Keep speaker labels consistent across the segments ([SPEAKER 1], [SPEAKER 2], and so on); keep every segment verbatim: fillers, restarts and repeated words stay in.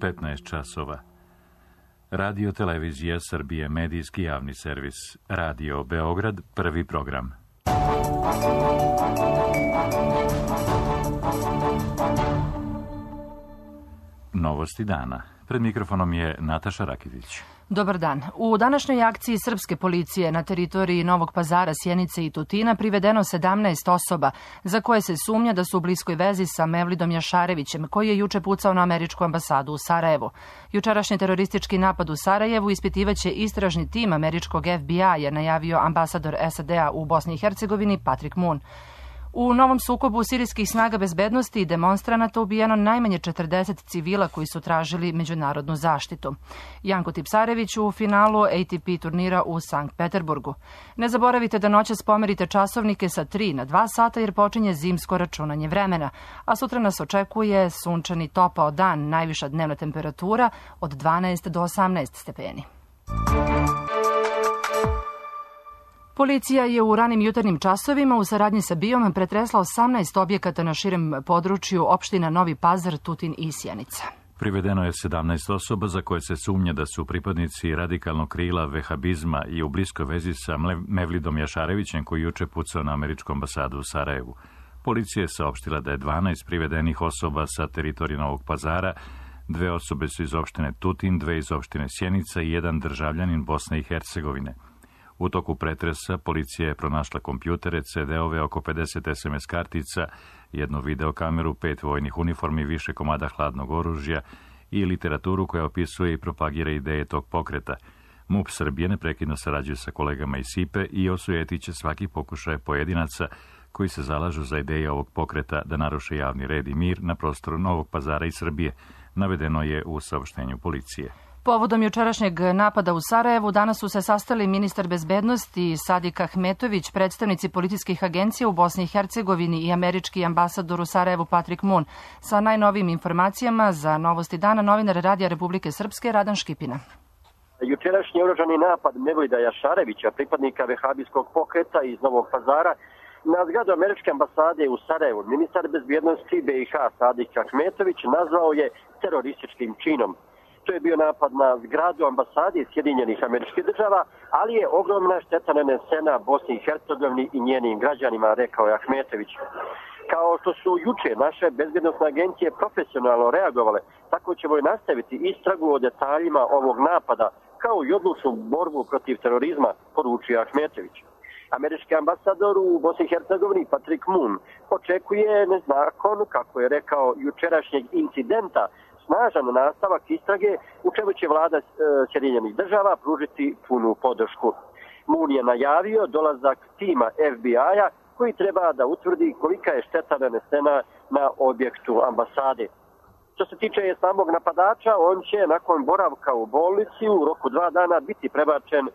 [SPEAKER 1] petnaest časova. Radio Televizija Srbije, medijski javni servis. Radio Beograd, prvi program. Novosti dana. Pred mikrofonom je Nataša Rakitić.
[SPEAKER 2] Dobar dan. U današnjoj akciji srpske policije na teritoriji Novog Pazara, Sjenice i Tutina privedeno sedamnaest osoba za koje se sumnja da su u bliskoj vezi sa Mevlidom Jašarevićem, koji je juče pucao na američku ambasadu u Sarajevu. Jučerašnji teroristički napad u Sarajevu ispitivaće istražni tim američkog F B I, je najavio ambasador S A D-a u Bosni i Hercegovini Patrick Moon. U novom sukobu sirijskih snaga bezbednosti i demonstranata ubijeno najmanje četrdeset civila koji su tražili međunarodnu zaštitu. Janko Tipsarević u finalu A T P turnira u Sankt Peterburgu. Ne zaboravite da noćas pomerite časovnike sa tri na dva sata jer počinje zimsko računanje vremena, a sutra nas očekuje sunčani topao dan, najviša dnevna temperatura od dvanaest do osamnaest stepeni. Policija je u ranim jutarnjim časovima u saradnji sa B I O-m pretresla osamnaest objekata na širem području opština Novi Pazar, Tutin i Sjenica.
[SPEAKER 1] Privedeno je sedamnaest osoba za koje se sumnja da su pripadnici radikalnog krila vehabizma i u bliskoj vezi sa Mevlidom Jašarevićem, koji juče pucao na američku ambasadu u Sarajevu. Policija je saopštila da je dvanaest privedenih osoba sa teritorije Novog Pazara, dve osobe su iz opštine Tutin, dve iz opštine Sjenica i jedan državljanin Bosne i Hercegovine. U toku pretresa policija je pronašla kompjutere, C D-ove, oko pedeset S M S kartica, jednu videokameru, pet vojnih uniformi, više komada hladnog oružja i literaturu koja opisuje i propagira ideje tog pokreta. M U P Srbije neprekidno sarađuje sa kolegama iz S I P E i osujetiće svaki pokušaj pojedinaca koji se zalažu za ideje ovog pokreta da naruše javni red i mir na prostoru Novog Pazara i Srbije, navedeno je u saopštenju policije.
[SPEAKER 2] Povodom jučerašnjeg napada u Sarajevu danas su se sastali ministar bezbednosti Sadik Ahmetović, predstavnici policijskih agencija u Bosni i Hercegovini i američki ambasador u Sarajevu Patrick Moon. Sa najnovijim informacijama za Novosti dana novinar Radija Republike Srpske Radan Škipina.
[SPEAKER 3] Jučerašnji oružani napad Mevlida Jašarevića, pripadnika vehabijskog pokreta iz Novog Pazara, na zgradu američke ambasade u Sarajevu, ministar bezbednosti B i H Sadik Ahmetović nazvao je terorističkim činom. To je bio napad na zgradu ambasade Sjedinjenih Američkih Država, ali je ogromna šteta nanesena Bosni i Hercegovini i njenim građanima, rekao je Ahmetović. Kao što su juče naše bezbednosne agencije profesionalno reagovale, tako ćemo i nastaviti istragu o detaljima ovog napada, kao i odlučnu borbu protiv terorizma, poručio Ahmetović. Američki ambasador u Bosni i Hercegovini Patrick Moon očekuje nakon, kako je rekao, jučerašnjeg incidenta, snažan nastavak istrage u čemu će vlada Sjedinjenih Država pružiti punu podršku. Moon je najavio dolazak tima F B I-a koji treba da utvrdi kolika je šteta nanesena na objektu ambasade. Što se tiče samog napadača, on će nakon boravka u bolnici u roku dva dana biti prebačen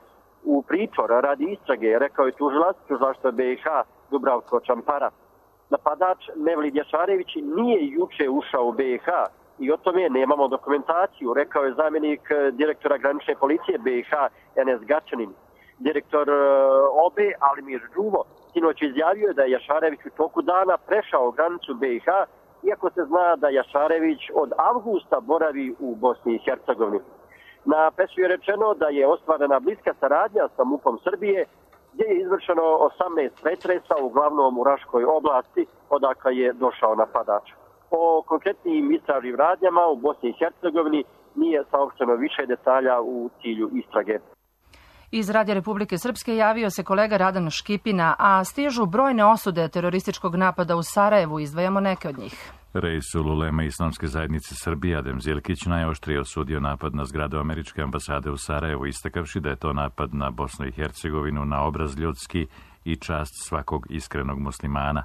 [SPEAKER 3] u pritvor radi istrage, rekao je tužilac tužilaštva B i H Dubravko Čampara. Napadač Mevlid Jašarević nije juče ušao u B i H i o tome nemamo dokumentaciju, rekao je zamjenik direktora granične policije B i H Enes Gačanin. Direktor O B E Alimir Đuvo sinoć izjavio da je Jašarević u toku dana prešao granicu B i H, iako se zna da Jašarević od avgusta boravi u Bosni i Hercegovini. Na presu je rečeno da je ostvarena bliska saradnja sa M U P-om Srbije, gdje je izvršeno osamnaest pretresa, uglavnom u Raškoj oblasti, odakle je došao napadač. O konkretnim istražnim radnjama u Bosni i Hercegovini nije saopšteno više detalja u cilju istrage.
[SPEAKER 2] Iz Radija Republike Srpske javio se kolega Radan Škipina, a stižu brojne osude terorističkog napada u Sarajevu, izdvajamo neke od njih.
[SPEAKER 1] Reisul uleme Islamske zajednice Srbije Adem Zilkić najoštrije osudio napad na zgradu američke ambasade u Sarajevu, istakavši da je to napad na Bosnu i Hercegovinu, na obraz ljudski i čast svakog iskrenog muslimana.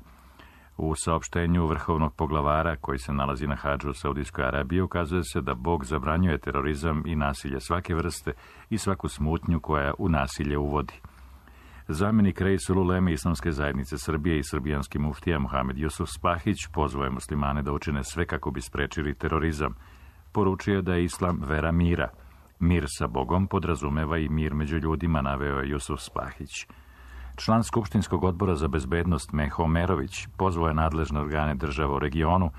[SPEAKER 1] U saopštenju vrhovnog poglavara, koji se nalazi na hadžu u Saudijskoj Arabiji, ukazuje se da Bog zabranjuje terorizam i nasilje svake vrste i svaku smutnju koja u nasilje uvodi. Zamjenik Reisul uleme Islamske zajednice Srbije i srbijanski muftija Muhamed Jusuf Spahić pozvao je muslimane da učine sve kako bi sprečili terorizam. Poručio da je islam vera mira. Mir sa Bogom podrazumeva i mir među ljudima, naveo je Jusuf Spahić. Član Skupštinskog odbora za bezbednost Meho Merović pozvao je nadležne organe država u regionu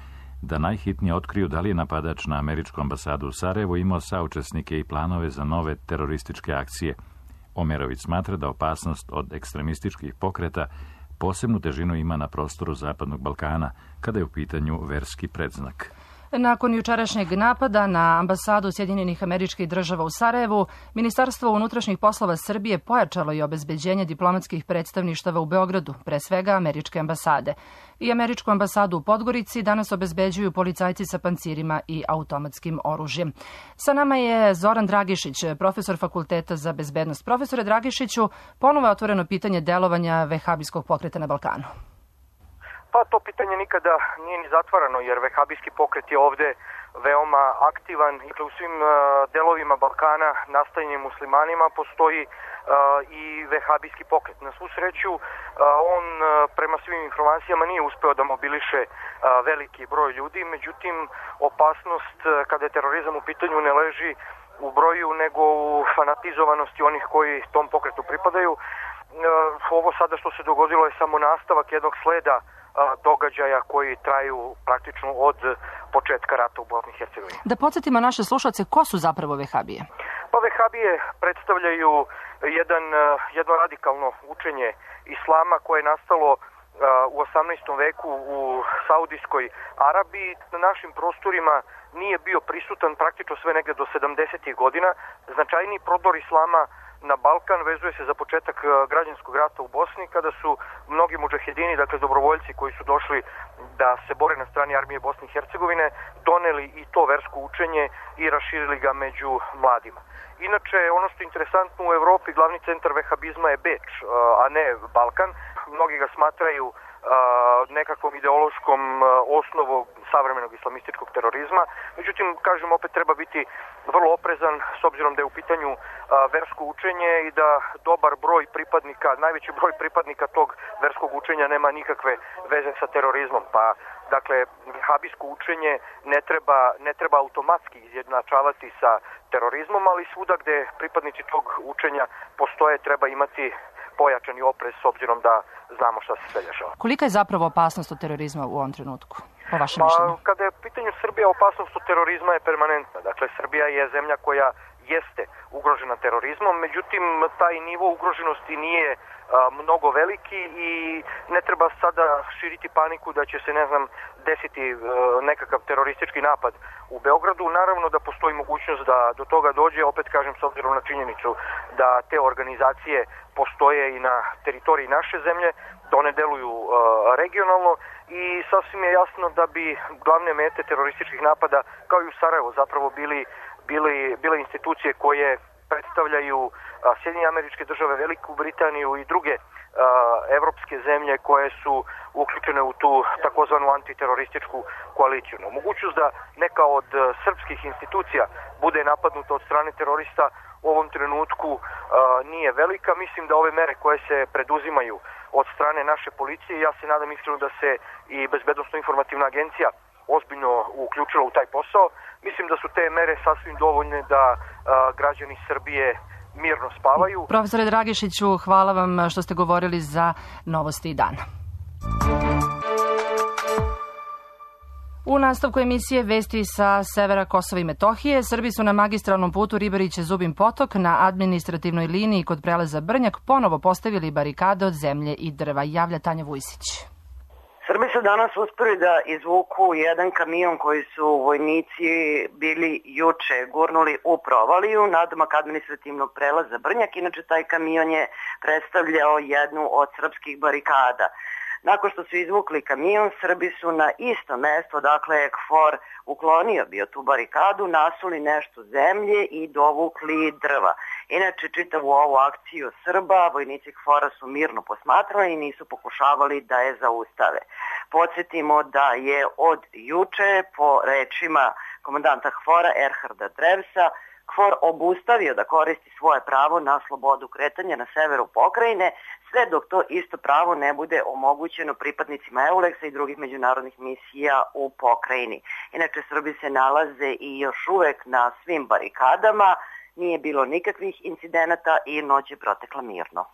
[SPEAKER 1] da najhitnije otkriju da li je napadač na američku ambasadu u Sarajevu imao saučesnike i planove za nove terorističke akcije. Omerović smatra da opasnost od ekstremističkih pokreta posebnu težinu ima na prostoru Zapadnog Balkana, kada je u pitanju verski predznak.
[SPEAKER 2] Nakon jučerašnjeg napada na ambasadu Sjedinjenih Američkih Država u Sarajevu, Ministarstvo unutrašnjih poslova Srbije pojačalo je obezbeđenje diplomatskih predstavništava u Beogradu, pre svega američke ambasade. I američku ambasadu u Podgorici danas obezbeđuju policajci sa pancirima i automatskim oružjem. Sa nama je Zoran Dragišić, profesor Fakulteta za bezbednost. Profesore Dragišiću, ponovo je otvoreno pitanje delovanja vehabijskog pokreta na Balkanu.
[SPEAKER 4] Pa to pitanje nikada nije ni zatvarano, jer vehabijski pokret je ovde veoma aktivan. U svim delovima Balkana nastanjenim muslimanima postoji i vehabijski pokret. Na svu sreću, on prema svim informacijama nije uspeo da mobiliše veliki broj ljudi, međutim opasnost kada je terorizam u pitanju ne leži u broju nego u fanatizovanosti onih koji tom pokretu pripadaju. Ovo sada što se dogodilo je samo nastavak jednog sleda događaja koji traju praktično od početka rata u Bosni i Hercegovini.
[SPEAKER 2] Da podsjetimo naše slušalce, ko su zapravo vehabije?
[SPEAKER 4] Pa vehabije predstavljaju jedan, jedno radikalno učenje islama koje je nastalo u osamnaestom veku u Saudijskoj Arabiji. Na našim prostorima nije bio prisutan praktično sve negde do sedamdesetih godina. Značajniji prodor islama na Balkan vezuje se za početak građanskog rata u Bosni, kada su mnogi mudžahedini, dakle dobrovoljci koji su došli da se bore na strani armije Bosne i Hercegovine, doneli i to versko učenje i raširili ga među mladima. Inače, ono što je interesantno u Evropi, glavni centar vehabizma je Beč, a ne Balkan. Mnogi ga smatraju nekakvom ideološkom osnovom savremenog islamističkog terorizma. Međutim, kažem, opet treba biti vrlo oprezan s obzirom da je u pitanju versko učenje i da dobar broj pripadnika, najveći broj pripadnika tog verskog učenja nema nikakve veze sa terorizmom. Pa, dakle, vehabijsko učenje ne treba, ne treba automatski izjednačavati sa terorizmom, ali svuda gde pripadnici tog učenja postoje treba imati pojačani oprez s obzirom da znamo šta se sve dešava.
[SPEAKER 2] Kolika je zapravo opasnost od terorizma u ovom trenutku, po vašem mišljenju?
[SPEAKER 4] Pa, kada je u pitanju Srbija, opasnost od terorizma je permanentna. Dakle, Srbija je zemlja koja jeste ugrožena terorizmom, međutim, taj nivo ugroženosti nije a, mnogo veliki i ne treba sada širiti paniku da će se, ne znam, desiti a, nekakav teroristički napad u Beogradu. Naravno da postoji mogućnost da do toga dođe, opet kažem, s obzirom na činjenicu da te organizacije postoje i na teritoriji naše zemlje, da one deluju a, regionalno i sasvim je jasno da bi glavne mete terorističkih napada, kao i u Sarajevu, zapravo bili Bili, bile institucije koje predstavljaju a, Sjedinjene Američke Države, Veliku Britaniju i druge a, evropske zemlje koje su uključene u tu takozvanu antiterorističku koaliciju. No, mogućnost da neka od a, srpskih institucija bude napadnuta od strane terorista u ovom trenutku a, nije velika. Mislim da ove mere koje se preduzimaju od strane naše policije, ja se nadam iskreno da se i Bezbednosno-informativna agencija ozbiljno uključila u taj posao. Mislim da su te mere sasvim dovoljne da a, građani Srbije mirno spavaju.
[SPEAKER 2] Profesore Dragišiću, hvala vam što ste govorili za Novosti dana. U nastavku emisije Vesti sa severa Kosova i Metohije, Srbi su na magistralnom putu Ribariće-Zubin Potok na administrativnoj liniji kod prelaza Brnjak ponovo postavili barikade od zemlje i drva. Javlja Tanja Vujsić.
[SPEAKER 5] Srbi su danas uspeli da izvuku jedan kamion koji su vojnici bili juče gurnuli u provaliju nadomak administrativnog prelaza Brnjak. Inače, taj kamion je predstavljao jednu od srpskih barikada. Nakon što su izvukli kamion, Srbi su na isto mesto, dakle je KFOR uklonio bio tu barikadu, nasuli nešto zemlje i dovukli drva. Inače, čitavu ovu akciju Srba, vojnici KFOR-a su mirno posmatrali i nisu pokušavali da je zaustave. Podsjetimo da je od juče, po rečima komandanta KFOR-a Erharda Drevsa, KFOR obustavio da koristi svoje pravo na slobodu kretanja na severu pokrajine, sve dok to isto pravo ne bude omogućeno pripadnicima EULEX-a i drugih međunarodnih misija u pokrajini. Inače, Srbi se nalaze i još uvek na svim barikadama, nije bilo nikakvih incidenata i noć je protekla mirno.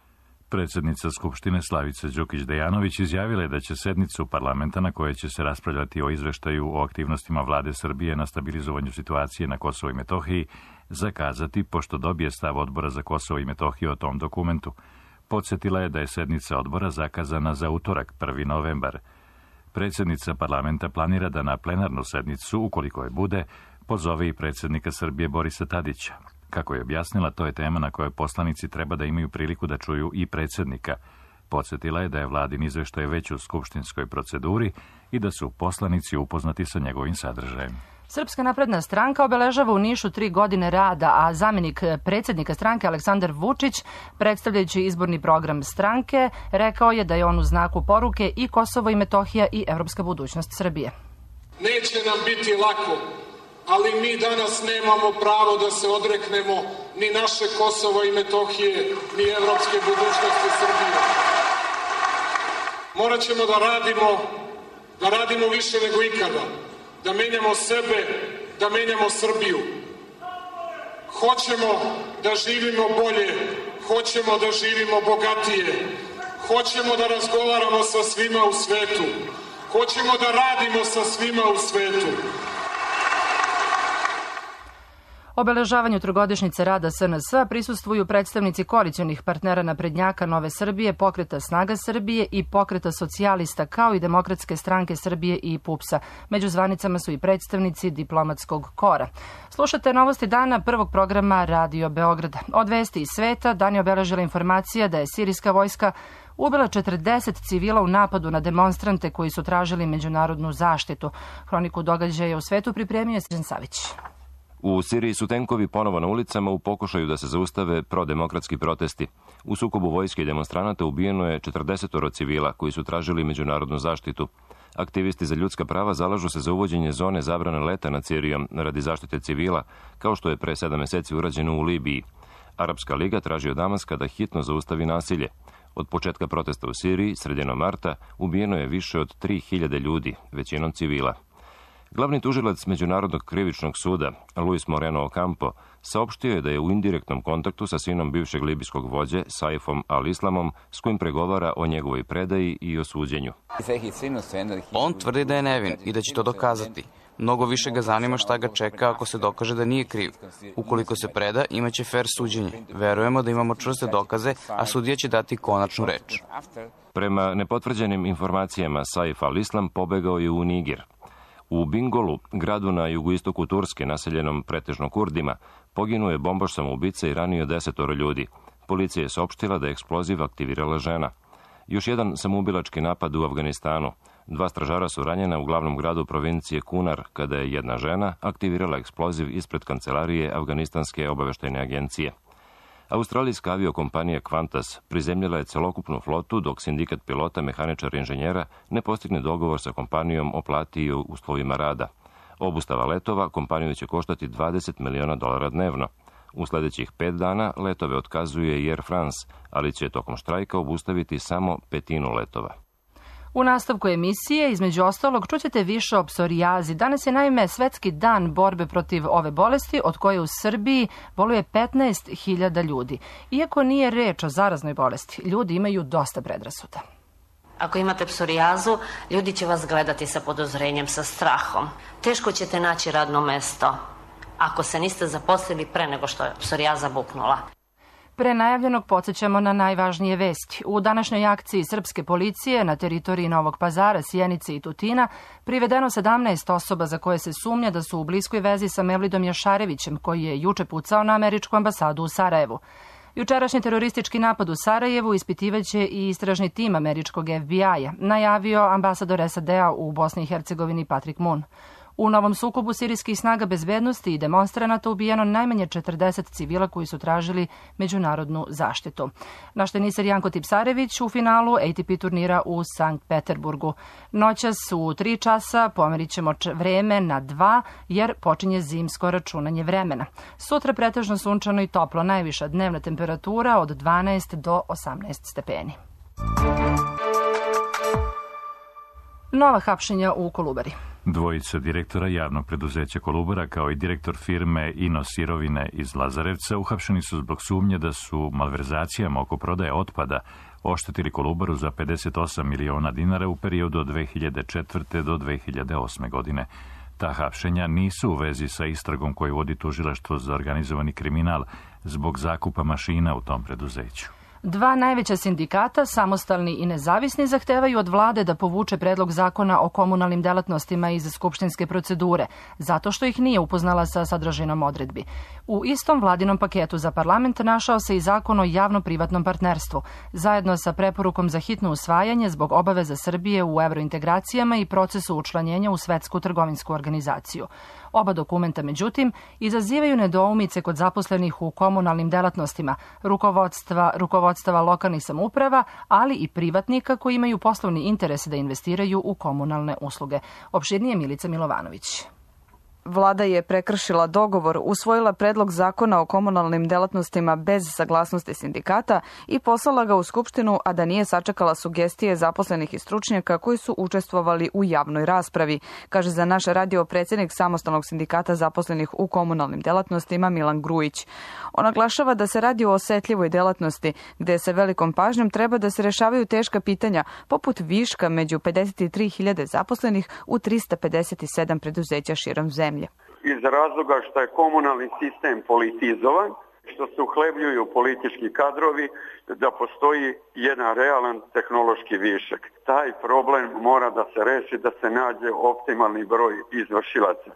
[SPEAKER 1] Predsjednica Skupštine Slavica Đukić-Dejanović izjavila je da će sednicu parlamenta na kojoj će se raspravljati o izveštaju o aktivnostima vlade Srbije na stabilizovanju situacije na Kosovo i Metohiji zakazati pošto dobije stav odbora za Kosovo i Metohiju o tom dokumentu. Podsjetila je da je sednica odbora zakazana za utorak, prvi novembar. Predsjednica parlamenta planira da na plenarnu sednicu, ukoliko je bude, pozove i predsjednika Srbije Borisa Tadića. Kako je objasnila, to je tema na kojoj poslanici treba da imaju priliku da čuju i predsjednika. Podsjetila je da je vladin izveštaj već u skupštinskoj proceduri i da su poslanici upoznati sa njegovim sadržajem.
[SPEAKER 2] Srpska napredna stranka obeležava u Nišu tri godine rada, a zamjenik predsjednika stranke Aleksandar Vučić, predstavljajući izborni program stranke, rekao je da je on u znaku poruke i Kosovo i Metohija i evropska budućnost Srbije.
[SPEAKER 6] Neće nam biti lako, ali mi danas nemamo pravo da se odreknemo ni naše Kosovo i Metohije, ni evropske budućnosti Srbije. Morat ćemo da radimo, da radimo više nego ikada, da menjamo sebe, da menjamo Srbiju. Hoćemo da živimo bolje, hoćemo da živimo bogatije, hoćemo da razgovaramo sa svima u svetu, hoćemo da radimo sa svima u svetu.
[SPEAKER 2] Obeležavanju trogodišnjice rada S N S prisustvuju predstavnici koalicionih partnera naprednjaka Nove Srbije, Pokreta Snaga Srbije i Pokreta socijalista, kao i Demokratske stranke Srbije i P U P S-a. Među zvanicama su i predstavnici diplomatskog kora. Slušate novosti dana prvog programa Radio Beograda. Od vesti iz sveta dan je obeležila informacija da je sirijska vojska ubila četrdeset civila u napadu na demonstrante koji su tražili međunarodnu zaštitu. Hroniku događaja u svetu pripremio je Srđan Savić.
[SPEAKER 7] U Siriji su tenkovi ponovo na ulicama u pokušaju da se zaustave prodemokratski protesti. U sukobu vojske i demonstranata ubijeno je četrdesetoro civila koji su tražili međunarodnu zaštitu. Aktivisti za ljudska prava zalažu se za uvođenje zone zabrane leta nad Sirijom radi zaštite civila, kao što je pre sedam meseci urađeno u Libiji. Arapska liga traži od Damaska da hitno zaustavi nasilje. Od početka protesta u Siriji, sredinom marta, ubijeno je više od tri hiljade ljudi, većinom civila. Glavni tužilac Međunarodnog krivičnog suda, Luis Moreno Ocampo, saopštio je da je u indirektnom kontaktu sa sinom bivšeg libijskog vođe, Saifom al-Islamom, s kojim pregovara o njegovoj predaji i o suđenju.
[SPEAKER 8] On tvrdi da je nevin i da će to dokazati. Mnogo više ga zanima šta ga čeka ako se dokaže da nije kriv. Ukoliko se preda, imaće fer suđenje. Verujemo da imamo čvrste dokaze, a sudija će dati konačnu reč.
[SPEAKER 7] Prema nepotvrđenim informacijama, Saif al-Islam pobegao je u Niger. U Bingolu, gradu na jugoistoku Turske, naseljenom pretežno Kurdima, poginuo je bombaš samoubica i ranio desetoro ljudi. Policija je saopštila da je eksploziv aktivirala žena. Još jedan samoubilački napad u Afganistanu. Dva stražara su ranjena u glavnom gradu provincije Kunar, kada je jedna žena aktivirala eksploziv ispred kancelarije Afganistanske obaveštajne agencije. Australijska aviokompanija Qantas prizemljila je celokupnu flotu dok sindikat pilota, mehaničara i inženjera ne postigne dogovor sa kompanijom o plati i uslovima rada. Obustava letova kompaniju će koštati dvadeset miliona dolara dnevno. U sljedećih pet dana letove otkazuje i Air France, ali će tokom štrajka obustaviti samo petinu letova.
[SPEAKER 2] U nastavku emisije, između ostalog, čućete više o psorijazi. Danas je naime svetski dan borbe protiv ove bolesti, od koje u Srbiji boluje petnaest hiljada ljudi. Iako nije reč o zaraznoj bolesti, ljudi imaju dosta predrasuda.
[SPEAKER 9] Ako imate psorijazu, ljudi će vas gledati sa podozrenjem, sa strahom. Teško ćete naći radno mesto ako se niste zaposlili pre nego što je psorijaza buknula.
[SPEAKER 2] Pre najavljenog podsjećamo na najvažnije vesti. U današnjoj akciji srpske policije na teritoriji Novog Pazara, Sjenice i Tutina privedeno sedamnaest osoba za koje se sumnja da su u bliskoj vezi sa Mevlidom Jašarevićem, koji je juče pucao na američku ambasadu u Sarajevu. Jučerašnji teroristički napad u Sarajevu ispitivaće i istražni tim američkog F B I-a, najavio ambasador S A D-a u Bosni i Hercegovini Patrick Moon. U novom sukobu sirijskih snaga bezbednosti i demonstranata ubijeno najmanje četrdeset civila koji su tražili međunarodnu zaštitu. Naš teniser Janko Tipsarević u finalu A T P turnira u Sankt Peterburgu. Noćas u tri časa pomerit ćemo vreme na dva jer počinje zimsko računanje vremena. Sutra pretežno sunčano i toplo, najviša dnevna temperatura od dvanaest do osamnaest stepeni. Nova hapšenja u Kolubari.
[SPEAKER 1] Dvojica direktora javnog preduzeća Kolubara kao i direktor firme Ino Sirovine iz Lazarevca uhapšeni su zbog sumnje da su malverzacijama oko prodaje otpada oštetili Kolubaru za pedeset osam miliona dinara u periodu od dve hiljade četvrte do dve hiljade osme godine. Ta hapšenja nisu u vezi sa istragom koju vodi tužilaštvo za organizovani kriminal zbog zakupa mašina u tom preduzeću.
[SPEAKER 2] Dva najveća sindikata, samostalni i nezavisni, zahtevaju od vlade da povuče predlog zakona o komunalnim delatnostima iz skupštinske procedure, zato što ih nije upoznala sa sadržinom odredbi. U istom vladinom paketu za parlament našao se i zakon o javno-privatnom partnerstvu, zajedno sa preporukom za hitno usvajanje zbog obaveza Srbije u evrointegracijama i procesu učlanjenja u Svetsku trgovinsku organizaciju. Oba dokumenta, međutim, izazivaju nedoumice kod zaposlenih u komunalnim delatnostima, rukovodstva, rukovodstava lokalnih samouprava, ali i privatnika koji imaju poslovni interes da investiraju u komunalne usluge. Opširnije Milica Milovanović.
[SPEAKER 10] Vlada je prekršila dogovor, usvojila predlog zakona o komunalnim delatnostima bez saglasnosti sindikata i poslala ga u Skupštinu, a da nije sačekala sugestije zaposlenih i stručnjaka koji su učestvovali u javnoj raspravi, kaže za naš radio predsjednik Samostalnog sindikata zaposlenih u komunalnim delatnostima Milan Grujić. On naglašava da se radi o osetljivoj delatnosti, gde se velikom pažnjom treba da se rešavaju teška pitanja, poput viška među pedeset tri hiljade zaposlenih u trista pedeset sedam preduzeća širom zemlje.
[SPEAKER 11] Iz razloga što je komunalni sistem politizovan, što se uhlebljuju politički kadrovi, da postoji jedan realan tehnološki višak. Taj problem mora da se reši, da se nađe optimalni broj izvršilaca.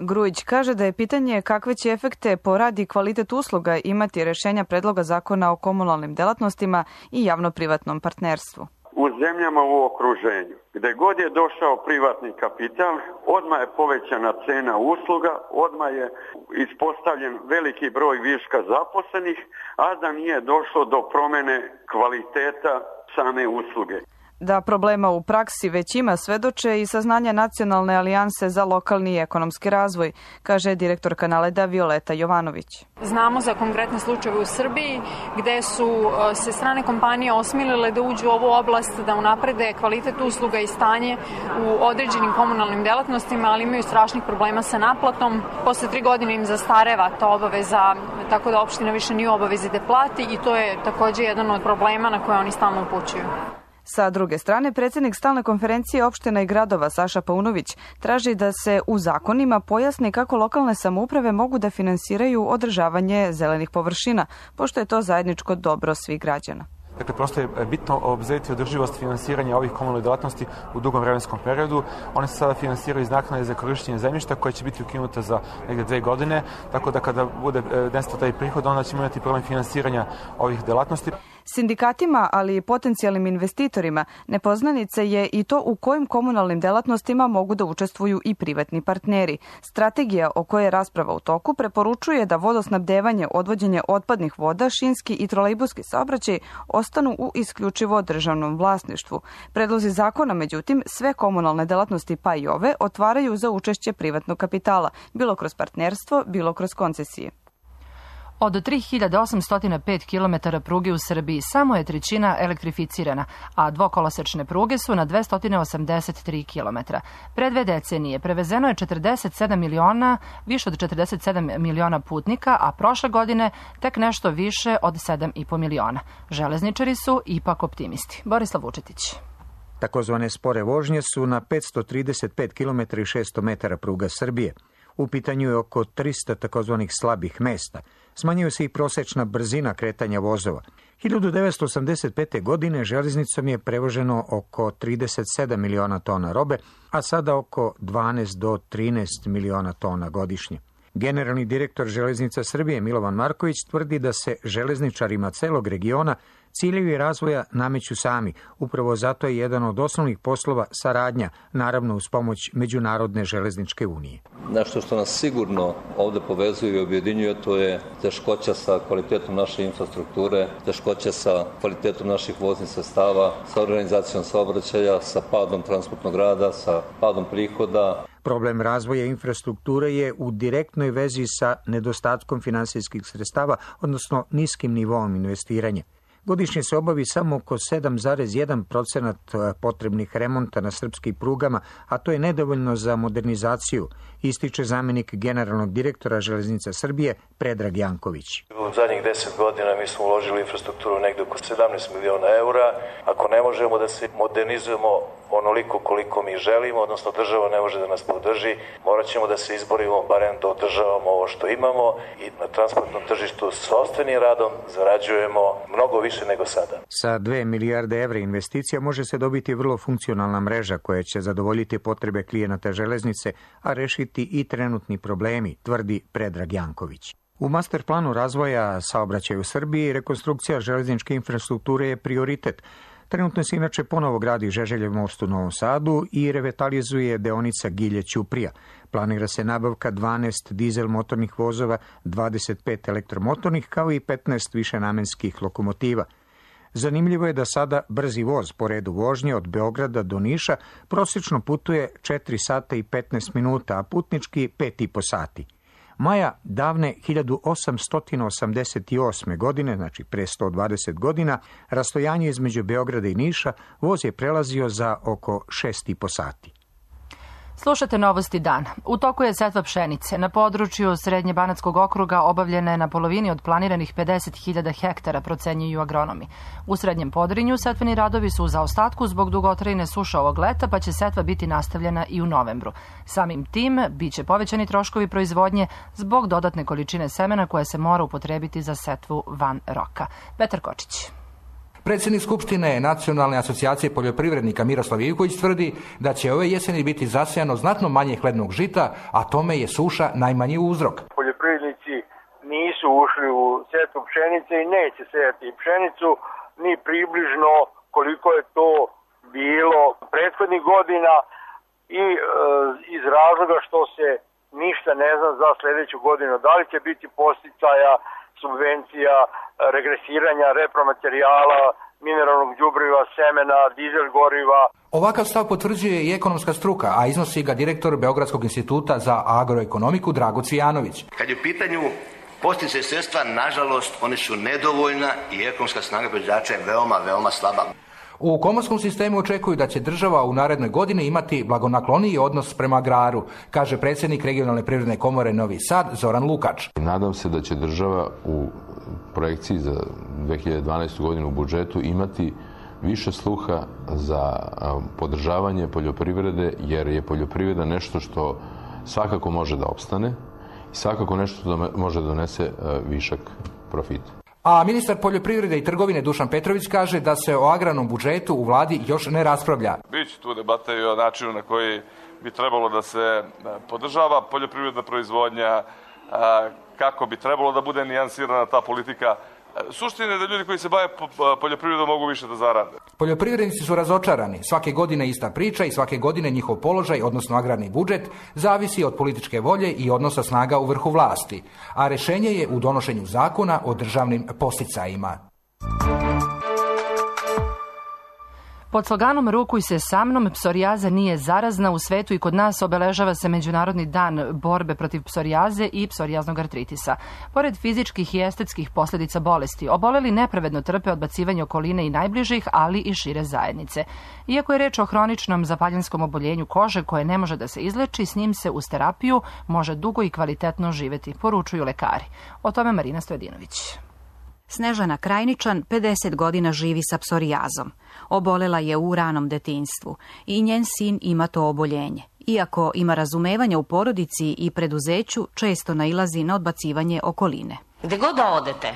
[SPEAKER 10] Grujić kaže da je pitanje kakve će efekte po rad i kvalitet usluga imati rešenja predloga zakona o komunalnim delatnostima i javno-privatnom partnerstvu.
[SPEAKER 11] U zemljama u okruženju, gde god je došao privatni kapital, odmah je povećana cena usluga, odmah je ispostavljen veliki broj viška zaposlenih, a da nije došlo do promene kvaliteta same usluge.
[SPEAKER 10] Da problema u praksi već ima svedoče i saznanja Nacionalne alijanse za lokalni i ekonomski razvoj, kaže direktorka Naleda Violeta Jovanović.
[SPEAKER 12] Znamo za konkretne slučajeve u Srbiji gde su se strane kompanije osmilile da uđu u ovu oblast, da unaprede kvalitet usluga i stanje u određenim komunalnim delatnostima, ali imaju strašnih problema sa naplatom. Posle tri godine im zastareva ta obaveza, tako da opština više nije u obavezi da plati i to je takođe jedan od problema na koje oni stalno upućuju.
[SPEAKER 10] Sa druge strane, predsjednik Stalne konferencije opština i gradova Saša Paunović traži da se u zakonima pojasni kako lokalne samouprave mogu da finansiraju održavanje zelenih površina, pošto je to zajedničko dobro svih građana.
[SPEAKER 13] Dakle, prosto je bitno obzirati održivost finansiranja ovih komunalnih delatnosti u dugom vremenskom periodu. One se sada finansiraju iz naknade za korišćenje zemljišta koja će biti ukinuta za negde dve godine, tako da kada bude nestao taj prihod, onda ćemo imati problem finansiranja ovih delatnosti.
[SPEAKER 10] Sindikatima, ali i potencijalnim investitorima, nepoznanica je i to u kojim komunalnim delatnostima mogu da učestvuju i privatni partneri. Strategija o kojoj je rasprava u toku preporučuje da vodosnabdevanje, odvođenje otpadnih voda, šinski i trolejbuski saobraćaj ostanu u isključivo državnom vlasništvu. Predlozi zakona, međutim, sve komunalne delatnosti pa i ove otvaraju za učešće privatnog kapitala, bilo kroz partnerstvo, bilo kroz koncesije.
[SPEAKER 2] Od tri hiljade osamsto pet kilometara pruge u Srbiji samo je trećina elektrificirana, a dvokolosečne pruge su na dvesta osamdeset tri kilometra. Pre dve decenije prevezeno je četrdeset sedam miliona, više od četrdeset sedam miliona putnika, a prošle godine tek nešto više od sedam i po miliona. Železničari su ipak optimisti. Borislav Vučetić.
[SPEAKER 14] Takozvane spore vožnje su na petsto trideset pet kilometara i šesto metara pruga Srbije. U pitanju je oko trista takozvanih slabih mesta. Smanjuje se i prosečna brzina kretanja vozova. hiljadu devetsto osamdeset pete. godine železnicom je prevoženo oko trideset sedam miliona tona robe, a sada oko dvanaest do trinaest miliona tona godišnje. Generalni direktor Železnica Srbije Milovan Marković tvrdi da se železničarima celog regiona ciljevi razvoja nameću sami. Upravo zato je jedan od osnovnih poslova saradnja, naravno uz pomoć Međunarodne železničke unije.
[SPEAKER 15] Nešto što nas sigurno ovde povezuje i objedinjuje, to je teškoća sa kvalitetom naše infrastrukture, teškoća sa kvalitetom naših voznih sredstava, sa organizacijom saobraćaja, sa padom transportnog rada, sa padom prihoda.
[SPEAKER 14] Problem razvoja infrastrukture je u direktnoj vezi sa nedostatkom finansijskih sredstava, odnosno niskim nivoom investiranja. Godišnje se obavi samo oko sedam zarez jedan procenat potrebnih remonta na srpskim prugama, a to je nedovoljno za modernizaciju, ističe zamjenik generalnog direktora Železnica Srbije Predrag Janković.
[SPEAKER 16] U zadnjih deset godina mi smo uložili infrastrukturu negde oko sedamnaest miliona eura. Ako ne možemo da se modernizujemo onoliko koliko mi želimo, odnosno država ne može da nas podrži, morat ćemo da se izborimo barem da održavamo ovo što imamo i na transportnom tržištu sopstvenim radom zarađujemo mnogo više nego sada.
[SPEAKER 14] Sa dve milijarde evra investicija može se dobiti vrlo funkcionalna mreža koja će zadovoljiti potrebe klijenata železnice, a rešiti i trenutni problemi, tvrdi Predrag Janković. U master planu razvoja saobraćaja u Srbiji rekonstrukcija železničke infrastrukture je prioritet. Trenutno se inače ponovo gradi Žeželjev most u Novom Sadu i revitalizuje deonica Gilje-Ćuprija. Planira se nabavka dvanaest dizel motornih vozova, dvadeset pet elektromotornih kao i petnaest višenamenskih lokomotiva. Zanimljivo je da sada brzi voz po redu vožnje od Beograda do Niša prosječno putuje četiri sata i petnaest minuta, a putnički pet i po sati. Maja davne hiljadu osamsto osamdeset osme. godine, znači pre sto dvadeset godina, rastojanje između Beograda i Niša voz je prelazio za oko šest i po sati.
[SPEAKER 2] Slušate Novosti dana. U toku je setva pšenice. Na području Srednje Banatskog okruga obavljena je na polovini od planiranih pedeset hiljada hektara, procenjuju agronomi. U Srednjem Podrinju setveni radovi su u zaostatku zbog dugotrajne suše ovog leta, pa će setva biti nastavljena i u novembru. Samim tim biće povećani troškovi proizvodnje zbog dodatne količine semena koja se mora upotrebiti za setvu van roka. Petar Kočić.
[SPEAKER 17] Predsjednik Skupštine Nacionalne asocijacije poljoprivrednika Miroslav Ivković tvrdi da će ove jeseni biti zasejano znatno manje hlednog žita, a tome je suša najmanji uzrok.
[SPEAKER 18] Poljoprivrednici nisu ušli u setvu pšenice i neće sejati pšenicu ni približno koliko je to bilo prethodnih godina i e, iz razloga što se ništa ne zna za sljedeću godinu. Da li će biti podsticaja, subvencija, regresiranja repromaterijala, mineralnog đubriva, semena, dizel goriva.
[SPEAKER 17] Ovakav stav potvrđuje i ekonomska struka, a iznosi ga direktor Beogradskog instituta za agroekonomiku Drago Cvijanović.
[SPEAKER 19] Kad je u pitanju posticaje sredstva, nažalost, one su nedovoljna i ekonomska snaga proizvođača je veoma, veoma slaba.
[SPEAKER 17] U komorskom sistemu očekuju da će država u narednoj godini imati blagonakloniji odnos prema agraru, kaže predsjednik Regionalne privredne komore Novi Sad Zoran Lukač.
[SPEAKER 20] Nadam se da će država u projekciji za dve hiljade dvanaestu. godinu u budžetu imati više sluha za podržavanje poljoprivrede, jer je poljoprivreda nešto što svakako može da opstane i svakako nešto što može da donese višak profita.
[SPEAKER 17] A ministar poljoprivrede i trgovine Dušan Petrović kaže da se o agrarnom budžetu u vladi još ne raspravlja.
[SPEAKER 21] Biće tu debata i o načinu na koji bi trebalo da se podržava poljoprivredna proizvodnja, kako bi trebalo da bude nijansirana ta politika. Suština je da ljudi koji se bave poljoprivredom mogu više da zarade.
[SPEAKER 17] Poljoprivrednici su razočarani. Svake godine ista priča i svake godine njihov položaj, odnosno agrarni budžet, zavisi od političke volje i odnosa snaga u vrhu vlasti. A rešenje je u donošenju zakona o državnim posticajima.
[SPEAKER 2] Pod sloganom Rukuj se sa mnom, psorijaza nije zarazna. U svetu i kod nas obeležava se Međunarodni dan borbe protiv psorijaze i psorijaznog artritisa. Pored fizičkih i estetskih posljedica bolesti, oboleli nepravedno trpe odbacivanje okoline i najbližih, ali i šire zajednice. Iako je reč o hroničnom zapaljenskom oboljenju kože koje ne može da se izleči, s njim se uz terapiju može dugo i kvalitetno živjeti, poručuju lekari. O tome Marina Stojadinović.
[SPEAKER 22] Snežana Krajničan pedeset godina živi sa psorijazom. Obolela je u ranom detinjstvu i njen sin ima to oboljenje. Iako ima razumevanja u porodici i preduzeću, često nailazi na odbacivanje okoline.
[SPEAKER 9] Gde god da odete,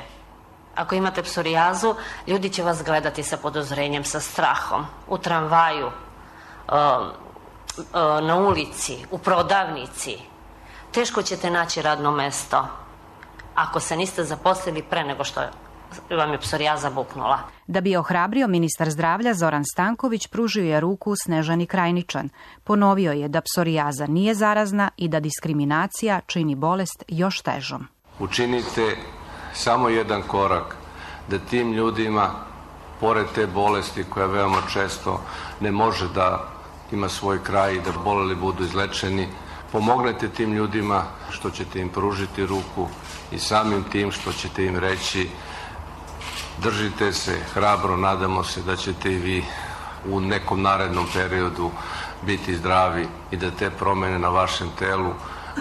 [SPEAKER 9] ako imate psorijazu, ljudi će vas gledati sa podozrenjem, sa strahom. U tramvaju, na ulici, u prodavnici. Teško ćete naći radno mesto ako se niste zaposlili pre nego što vam je psorijaza buknula.
[SPEAKER 22] Da bi ohrabrio ministar zdravlja Zoran Stanković, pružio je ruku Snežani Krajničan. Ponovio je da psorijaza nije zarazna i da diskriminacija čini bolest još težom.
[SPEAKER 23] Učinite samo jedan korak da tim ljudima, pored te bolesti koja veoma često ne može da ima svoj kraj i da boleli budu izlečeni, pomognete tim ljudima što ćete im pružiti ruku i samim tim što ćete im reći Držite se hrabro, nadamo se da ćete i vi u nekom narednom periodu biti zdravi i da te promjene na vašem telu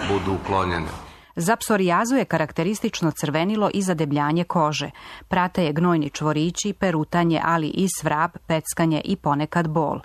[SPEAKER 23] budu uklonjene.
[SPEAKER 22] Za psorijazu je karakteristično crvenilo i zadebljanje kože. Prate je gnojni čvorići, perutanje, ali i svrab, peckanje i ponekad bol.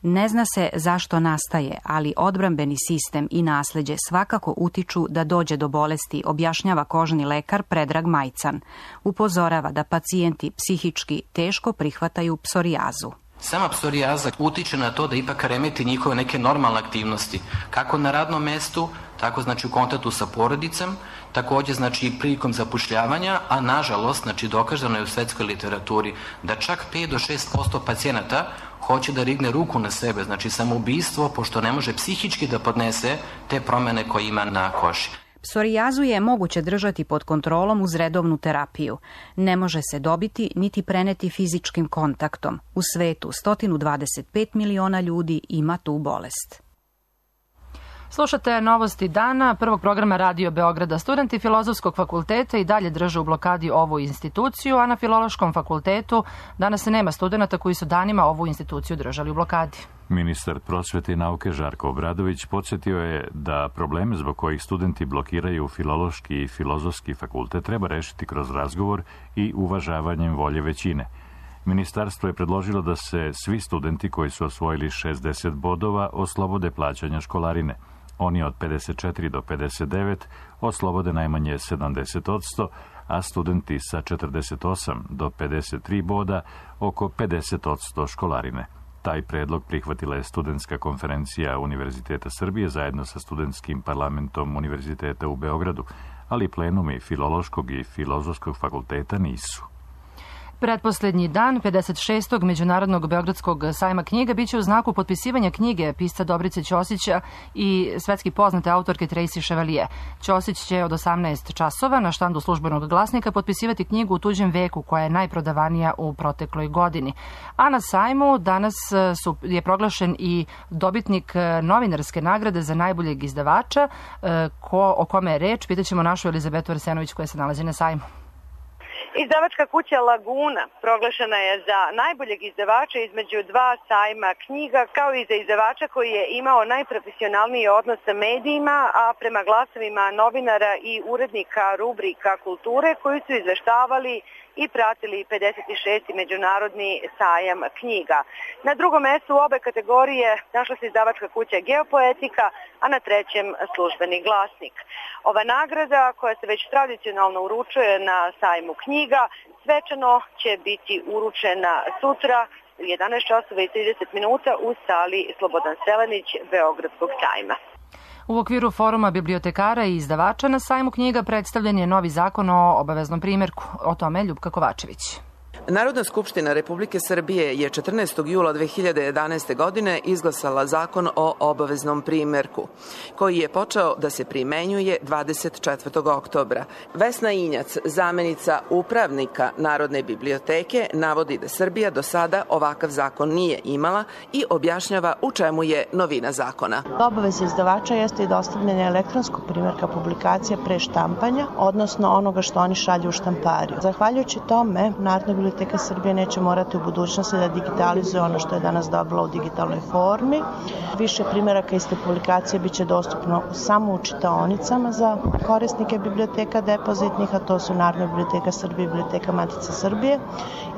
[SPEAKER 22] Ne zna se zašto nastaje, ali odbrambeni sistem i nasleđe svakako utiču da dođe do bolesti, objašnjava kožni lekar Predrag Majcan. Upozorava da pacijenti psihički teško prihvataju psorijazu.
[SPEAKER 3] Sama psorijaza utiče na to da ipak remeti njihove neke normalne aktivnosti, kako na radnom mestu, tako znači u kontaktu sa porodicom, također znači i prilikom zapošljavanja, a nažalost znači dokazano je u svetskoj literaturi da čak pet do šest posto pacijenata hoće da rigne ruku na sebe, znači samoubistvo, pošto ne može psihički da podnese te promjene koje ima na koži.
[SPEAKER 22] Psorijazu je moguće držati pod kontrolom uz redovnu terapiju. Ne može se dobiti niti preneti fizičkim kontaktom. U svetu sto dvadeset pet miliona ljudi ima tu bolest.
[SPEAKER 2] Slušate novosti dana prvog programa Radio Beograda. Studenti Filozofskog fakulteta i dalje drže u blokadi ovu instituciju, a na Filološkom fakultetu danas se nema studenata koji su danima ovu instituciju držali u blokadi.
[SPEAKER 1] Ministar prosvete i nauke Žarko Obradović podsjetio je da probleme zbog kojih studenti blokiraju Filološki i Filozofski fakultet treba rešiti kroz razgovor i uvažavanjem volje većine. Ministarstvo je predložilo da se svi studenti koji su osvojili šezdeset bodova oslobode plaćanja školarine. Oni od pedeset četiri do pedeset devet oslobode najmanje sedamdeset odsto, a studenti sa četrdeset osam do pedeset tri boda oko pedeset odsto školarine. Taj predlog prihvatila je Studentska konferencija Univerziteta Srbije zajedno sa Studentskim parlamentom Univerziteta u Beogradu, ali plenumi Filološkog i Filozofskog fakulteta nisu.
[SPEAKER 2] Pretposlednji dan pedeset šestog Međunarodnog Beogradskog sajma knjiga biće u znaku potpisivanja knjige pisca Dobrice Ćosića i svetski poznate autorke Tracy Chevalier. Ćosić će od osamnaest časova na štandu Službenog glasnika potpisivati knjigu U tuđem veku, koja je najprodavanija u protekloj godini. A na sajmu danas su, je proglašen i dobitnik novinarske nagrade za najboljeg izdavača. Ko, o kome je reč, pitaćemo našu Elizabetu Arsenović koja se nalazi na sajmu.
[SPEAKER 4] Izdavačka kuća Laguna proglašena je za najboljeg izdavača između dva sajma knjiga, kao i za izdavača koji je imao najprofesionalniji odnos sa medijima, a prema glasovima novinara i urednika rubrika kulture koji su izveštavali i pratili pedeset šesti Međunarodni sajam knjiga. Na drugom mestu u obe kategorije našla se izdavačka kuća Geopoetika, a na trećem Službeni glasnik. Ova nagrada, koja se već tradicionalno uručuje na sajmu knjiga, svečano će biti uručena sutra u jedanaest časova i trideset minuta u sali Slobodan Selenić Beogradskog sajma.
[SPEAKER 2] U okviru foruma bibliotekara i izdavača na sajmu knjiga predstavljen je novi zakon o obaveznom primjerku. O tome Ljupka Kovačević.
[SPEAKER 5] Narodna skupština Republike Srbije je četrnaestog jula dve hiljade jedanaeste. godine izglasala zakon o obaveznom primjerku, koji je počeo da se primenjuje dvadeset četvrtog oktobra. Vesna Injac, zamenica upravnika Narodne biblioteke, navodi da Srbija do sada ovakav zakon nije imala i objašnjava u čemu je novina zakona.
[SPEAKER 24] Obaveza izdavača jeste i dostavljanje elektronskog primjerka publikacije pre štampanja, odnosno onoga što oni šalju u štampariju. Zahvaljujući tome, Narodna biblioteka Srbije neće morati u budućnosti da digitalizuje ono što je danas dobila u digitalnoj formi. Više primjeraka iste publikacije biće dostupno samo u čitaonicama za korisnike biblioteka depozitnih, a to su Narodna biblioteka Srbije i Biblioteka Matice Srbije.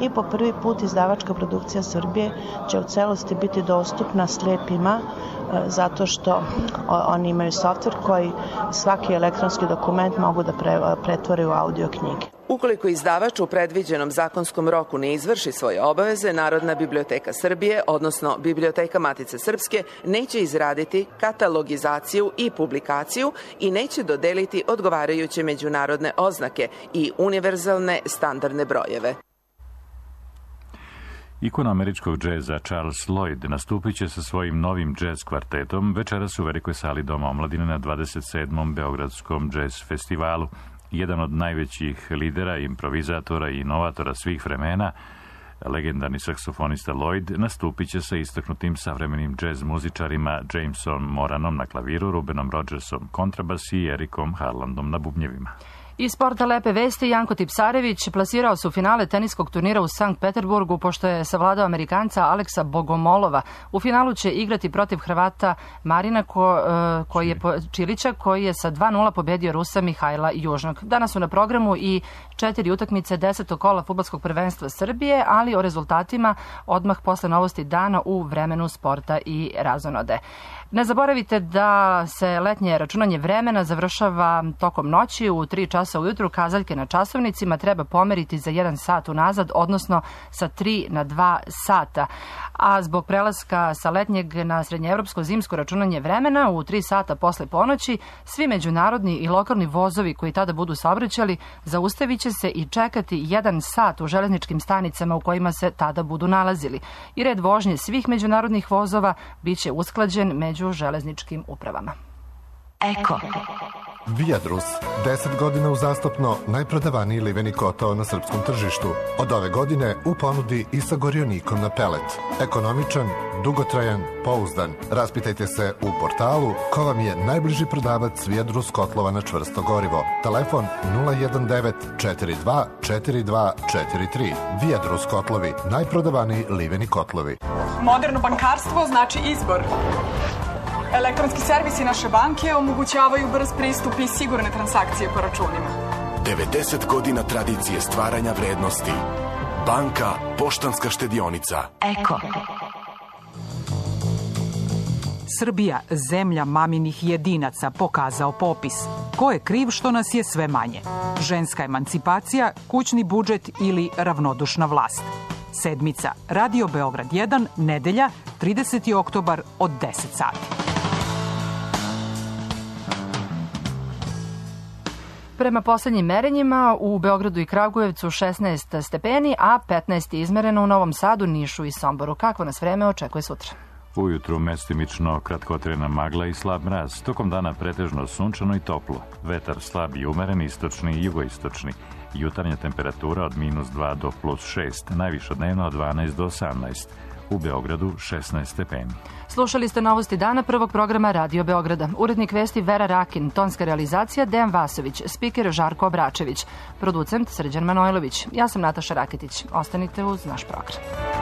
[SPEAKER 24] I po prvi put izdavačka produkcija Srbije će u celosti biti dostupna slepima, zato što oni imaju softver koji svaki elektronski dokument mogu da pretvore u audio knjige.
[SPEAKER 5] Ukoliko izdavač u predviđenom zakonskom roku ne izvrši svoje obaveze, Narodna biblioteka Srbije, odnosno Biblioteka Matice Srpske, neće izraditi katalogizaciju i publikaciju i neće dodeliti odgovarajuće međunarodne oznake i univerzalne standardne brojeve.
[SPEAKER 1] Ikona američkog džeza Charles Lloyd nastupit će sa svojim novim džez kvartetom večeras u velikoj sali Doma omladine na dvadeset sedmom Beogradskom džez festivalu. Jedan od najvećih lidera, improvizatora i inovatora svih vremena, legendarni saksofonista Lloyd, nastupit će sa istaknutim savremenim džez muzičarima Jamesom Moranom na klaviru, Rubenom Rodgersom kontrabas i Erikom Harlandom na bubnjevima.
[SPEAKER 2] Iz sporta lepe vesti, Janko Tipsarević plasirao se u finale teniskog turnira u Sankt Peterburgu pošto je savladao Amerikanca Aleksa Bogomolova. U finalu će igrati protiv Hrvata Marina ko, koji je, Čilića koji je sa dva nula pobedio Rusa Mihajla Južnog. Danas su na programu i četiri utakmice desetog kola fudbalskog prvenstva Srbije, ali o rezultatima odmah posle novosti dana u vremenu sporta i razonode. Ne zaboravite da se letnje računanje vremena završava tokom noći u tri časa ujutru. Kazaljke na časovnicima treba pomeriti za jedan sat unazad, odnosno sa tri na dva sata. A zbog prelaska sa letnjeg na srednjeevropsko zimsko računanje vremena u tri sata posle ponoći, svi međunarodni i lokalni vozovi koji tada budu saobraćali zaustavit će se i čekati jedan sat u železničkim stanicama u kojima se tada budu nalazili. I red vožnje svih međunarodnih vozova biće usklađen među železničkim upravama.
[SPEAKER 6] Eko. Viadrus. deset godina uzastopno najprodavaniji liveni kotao na srpskom tržištu. Od ove godine u ponudi i sa gorionikom na pelet. Ekonomičan, dugotrajan, pouzdan. Raspitajte se u portalu ko vam je najbliži prodavac Viadrus kotlova na čvrsto gorivo. Telefon nula jedan devet četiri dva četiri dva četiri tri. Viadrus kotlovi. Najprodavaniji liveni kotlovi.
[SPEAKER 7] Moderno bankarstvo znači izbor. Elektronski servisi naše banke omogućavaju brz pristup i sigurne transakcije po računima.
[SPEAKER 8] devedeset godina tradicije stvaranja vrednosti. Banka Poštanska štedionica.
[SPEAKER 11] Eko. Srbija, zemlja maminih jedinaca, pokazao popis. Ko je kriv što nas je sve manje? Ženska emancipacija, kućni budžet ili ravnodušna vlast? Sedmica, Radio Beograd jedan, nedelja, trideseti oktobar od deset sati.
[SPEAKER 2] Prema poslednjim merenjima u Beogradu i Kragujevcu šesnaest stepeni, a petnaest je izmereno u Novom Sadu, Nišu i Somboru. Kako nas vreme očekuje sutra?
[SPEAKER 1] Ujutru mestimično kratkotrajna magla i slab mraz. Tokom dana pretežno sunčano i toplo. Vetar slab i umeren, istočni i jugoistočni. Jutarnja temperatura od minus dva do plus šest, najviša dnevno od dvanaest do osamnaest. U Beogradu šesnaest stepeni.
[SPEAKER 2] Slušali ste novosti dana prvog programa Radio Beograda. Urednik vesti Vera Rakin, tonska realizacija Dejan Vasović, spiker Žarko Obračević, producent Srđan Manojlović. Ja sam Nataša Raketić. Ostanite uz naš program.